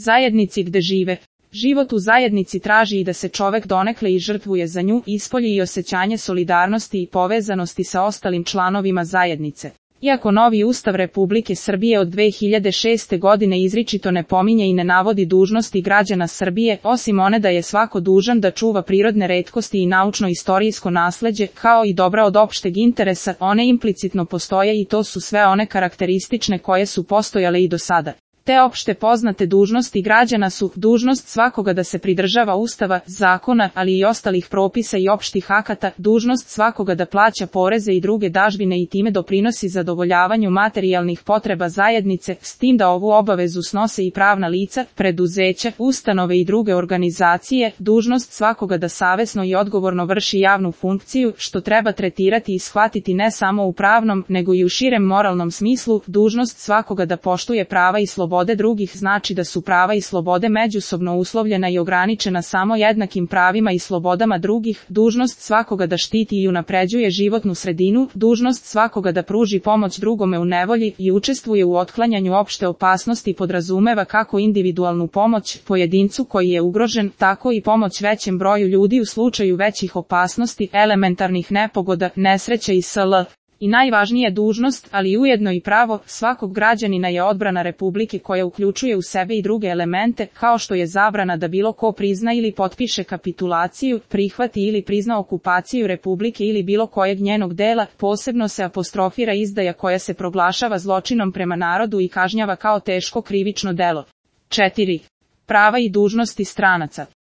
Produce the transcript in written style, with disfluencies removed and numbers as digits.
Zajednici gde žive. Život u zajednici traži i da se čovek donekle i žrtvuje za nju, ispolji i osjećanje solidarnosti i povezanosti sa ostalim članovima zajednice. Iako novi Ustav Republike Srbije od 2006. godine izričito ne pominje i ne navodi dužnosti građana Srbije, osim one da je svako dužan da čuva prirodne retkosti i naučno-istorijsko nasleđe, kao i dobra od opšteg interesa, one implicitno postoje i to su sve one karakteristične koje su postojale i do sada. Te opšte poznate dužnosti građana su dužnost svakoga da se pridržava Ustava, zakona, ali i ostalih propisa i opštih akata, dužnost svakoga da plaća poreze i druge dažbine i time doprinosi zadovoljavanju materijalnih potreba zajednice, s tim da ovu obavezu snose i pravna lica, preduzeća, ustanove i druge organizacije, dužnost svakoga da savesno i odgovorno vrši javnu funkciju, što treba tretirati i shvatiti ne samo u pravnom, nego i u širem moralnom smislu, dužnost svakoga da poštuje prava i slobode drugih znači da su prava i slobode međusobno uslovljena i ograničena samo jednakim pravima i slobodama drugih, dužnost svakoga da štiti i unapređuje životnu sredinu, dužnost svakoga da pruži pomoć drugome u nevolji i učestvuje u otklanjanju opšte opasnosti podrazumeva kako individualnu pomoć pojedincu koji je ugrožen, tako i pomoć većem broju ljudi u slučaju većih opasnosti, elementarnih nepogoda, nesreća i sl. I najvažnija dužnost, ali ujedno i pravo, svakog građanina je odbrana Republike koja uključuje u sebe i druge elemente, kao što je zabrana da bilo ko prizna ili potpiše kapitulaciju, prihvati ili prizna okupaciju Republike ili bilo kojeg njenog dela, posebno se apostrofira izdaja koja se proglašava zločinom prema narodu i kažnjava kao teško krivično delo. 4. Prava i dužnosti stranaca.